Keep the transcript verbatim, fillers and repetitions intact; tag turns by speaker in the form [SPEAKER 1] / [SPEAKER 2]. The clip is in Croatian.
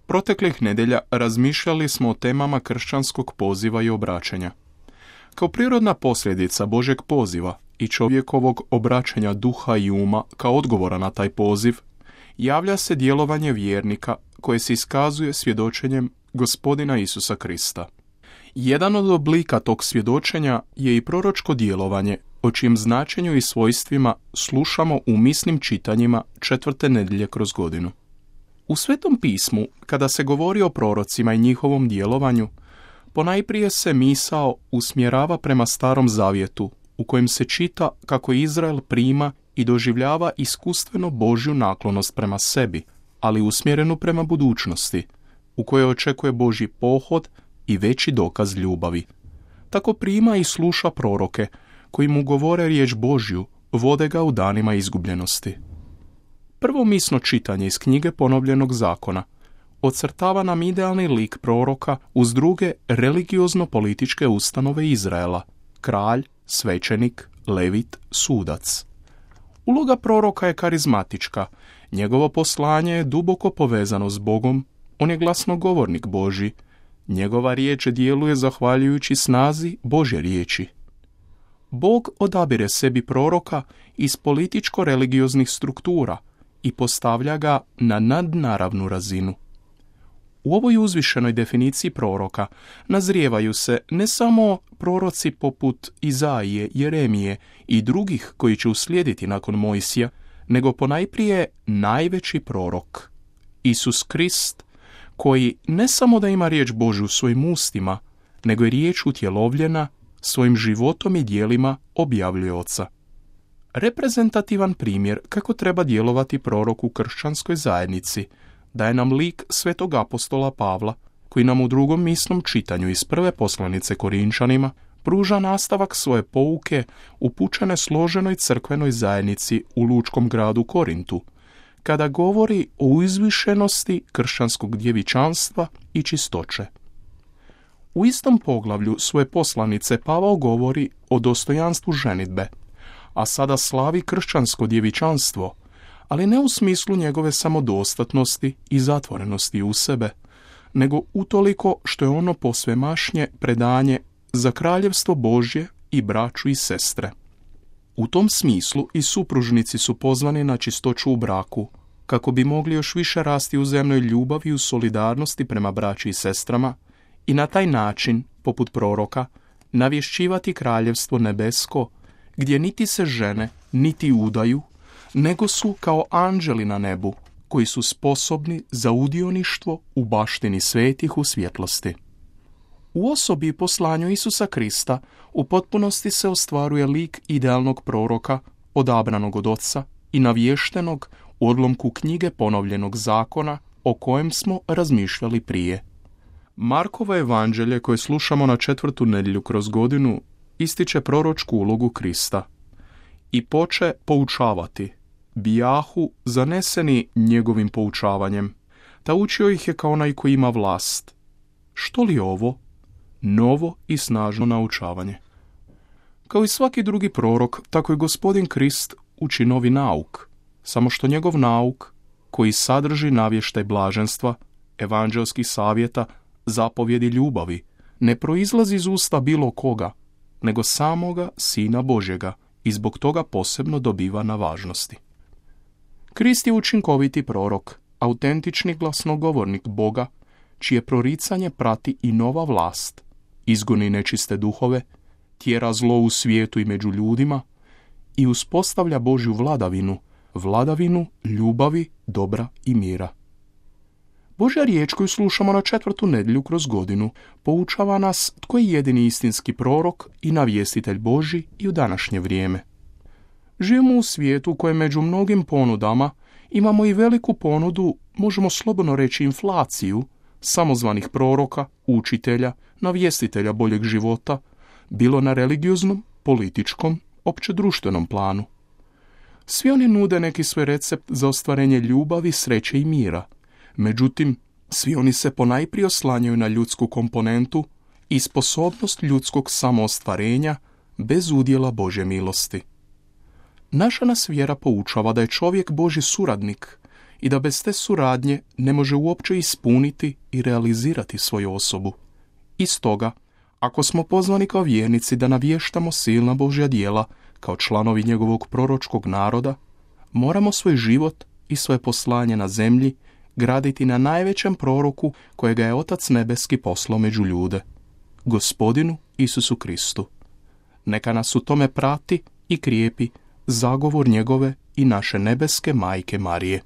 [SPEAKER 1] Proteklih nedjelja razmišljali smo o temama kršćanskog poziva i obraćanja. Kao prirodna posljedica Božjeg poziva i čovjekovog obraćanja duha i uma kao odgovora na taj poziv, javlja se djelovanje vjernika koje se iskazuje svjedočenjem Gospodina Isusa Krista. Jedan od oblika tog svjedočenja je i proročko djelovanje, o čijem značenju i svojstvima slušamo u misnim čitanjima četvrte nedjelje kroz godinu. U Svetom pismu, kada se govori o prorocima i njihovom djelovanju, ponajprije se misao usmjerava prema Starom Zavjetu, u kojem se čita kako Izrael prima i doživljava iskustveno Božju naklonost prema sebi, ali usmjerenu prema budućnosti, u kojoj očekuje Božji pohod i veći dokaz ljubavi. Tako prima i sluša proroke, koji mu govore riječ Božju, vode ga u danima izgubljenosti. Prvo misno čitanje iz knjige Ponovljenog zakona ocrtava nam idealni lik proroka uz druge religiozno-političke ustanove Izraela, kralj, svećenik, levit, sudac. Uloga proroka je karizmatička, njegovo poslanje je duboko povezano s Bogom, on je glasnogovornik Božji, njegova riječ djeluje zahvaljujući snazi Božje riječi. Bog odabire sebi proroka iz političko-religioznih struktura i postavlja ga na nadnaravnu razinu. U ovoj uzvišenoj definiciji proroka nazrijevaju se ne samo proroci poput Izaije, Jeremije i drugih koji će uslijediti nakon Mojsija, nego ponajprije najveći prorok, Isus Krist, koji ne samo da ima riječ Božju u svojim ustima, nego je riječ utjelovljena, svojim životom i djelima objavljuje Oca. Reprezentativan primjer kako treba djelovati prorok u kršćanskoj zajednici daje nam lik svetog apostola Pavla, koji nam u drugom misnom čitanju iz prve poslanice Korinčanima pruža nastavak svoje pouke upućene složenoj crkvenoj zajednici u lučkom gradu Korintu, kada govori o uzvišenosti kršćanskog djevičanstva i čistoće. U istom poglavlju svoje poslanice Pavao govori o dostojanstvu ženidbe, a sada slavi kršćansko djevičanstvo, ali ne u smislu njegove samodostatnosti i zatvorenosti u sebe, nego utoliko što je ono posvemašnje predanje za kraljevstvo Božje i braću i sestre. U tom smislu i supružnici su pozvani na čistoću u braku, kako bi mogli još više rasti u uzajamnoj ljubavi i u solidarnosti prema braći i sestrama i na taj način, poput proroka, navješćivati kraljevstvo nebesko, gdje niti se žene, niti udaju, nego su kao anđeli na nebu, koji su sposobni za udioništvo u baštini svetih u svjetlosti. U osobi i poslanju Isusa Krista u potpunosti se ostvaruje lik idealnog proroka, odabranog od Oca i navještenog u odlomku knjige Ponovljenog zakona o kojem smo razmišljali prije. Markovo evanđelje koje slušamo na četvrtu nedjelju kroz godinu ističe proročku ulogu Krista i poče poučavati, bijahu zaneseni njegovim poučavanjem, ta učio ih je kao onaj koji ima vlast. Što li je ovo? Novo i snažno naučavanje. Kao i svaki drugi prorok, tako i gospodin Krist uči novi nauk, samo što njegov nauk, koji sadrži navještaj blaženstva, evanđelskih savjeta, zapovjedi ljubavi, ne proizlazi iz usta bilo koga, nego samoga Sina Božjega i zbog toga posebno dobiva na važnosti. Krist je učinkoviti prorok, autentični glasnogovornik Boga, čije proricanje prati i nova vlast, izgoni nečiste duhove, tjera zlo u svijetu i među ljudima i uspostavlja Božju vladavinu, vladavinu ljubavi, dobra i mira. Božja riječ koju slušamo na četvrtu nedjelju kroz godinu poučava nas tko je jedini istinski prorok i navjestitelj Božji i u današnje vrijeme. Živimo u svijetu u kojem među mnogim ponudama imamo i veliku ponudu, možemo slobodno reći inflaciju, samozvanih proroka, učitelja, navjestitelja boljeg života, bilo na religioznom, političkom, općedruštvenom planu. Svi oni nude neki svoj recept za ostvarenje ljubavi, sreće i mira. Međutim, svi oni se ponajprije oslanjaju na ljudsku komponentu i sposobnost ljudskog samoostvarenja bez udjela Božje milosti. Naša nas vjera poučava da je čovjek Božji suradnik i da bez te suradnje ne može uopće ispuniti i realizirati svoju osobu. I stoga, ako smo pozvani kao vjernici da navještamo silna Božja djela kao članovi njegovog proročkog naroda, moramo svoj život i svoje poslanje na zemlji graditi na najvećem proroku kojega je Otac Nebeski poslao među ljude, Gospodinu Isusu Kristu. Neka nas u tome prati i krijepi zagovor njegove i naše nebeske majke Marije.